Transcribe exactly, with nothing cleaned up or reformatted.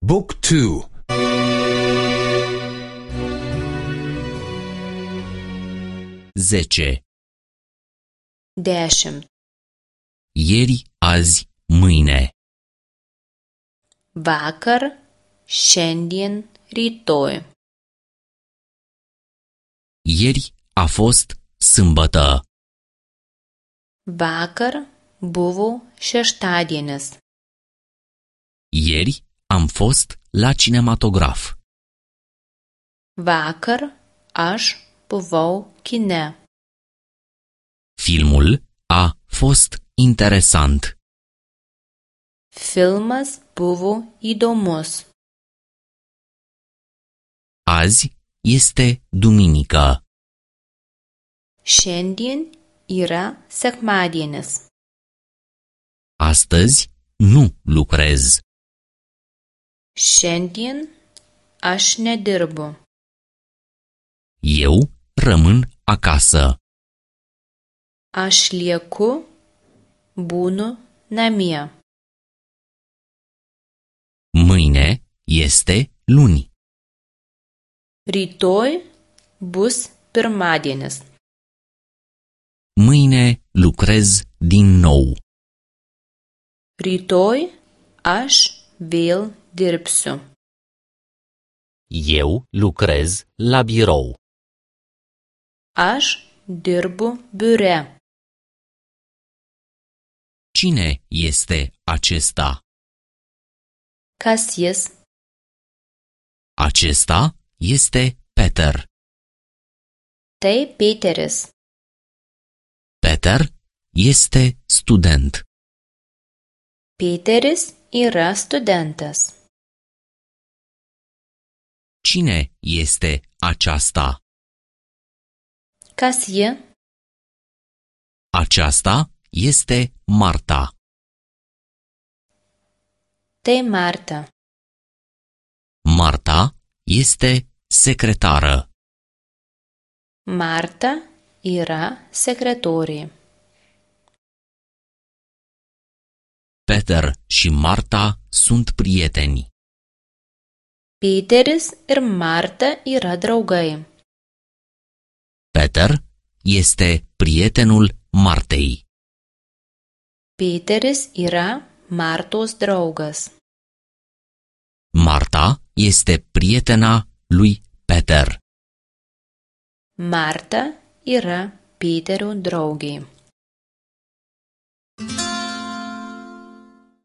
Book two. zece. Dešimt. Ieri, azi, mâine. Vakar, šiandien, rytoj. Ieri a fost sâmbătă. Vakar buvo šeštadienis. Ieri am fost la cinematograf. Vakar aš buvau kine. Filmul a fost interesant. Filmas buvo įdomus. Azi este duminică. Šiandien yra sekmadienis. Astăzi nu lucrez. Šiandien aš nedirbu. Eu rămân acasă. Aš lieku, būnu namie. Mâine este luni. Rytoj bus pirmadienis. Mâine lucrez din nou. Rytoj aš vėl dirbsiu. Eu lucrez la birou. Aš dirbu biure. Cine este acesta? Kas jis? Acesta este Peter. Tai Peteris. Peter este student. Peteris yra studentas. Cine este aceasta? Kas ji? Aceasta este Marta. Tai Marta. Marta este secretară. Marta yra sekretorė. Peter și Marta sunt prieteni. Peteris ir Marta yra draugai. Peter este prietenul Martei. Peteris yra Martos draugas. Marta este prietena lui Peter. Marta yra Peterio draugė.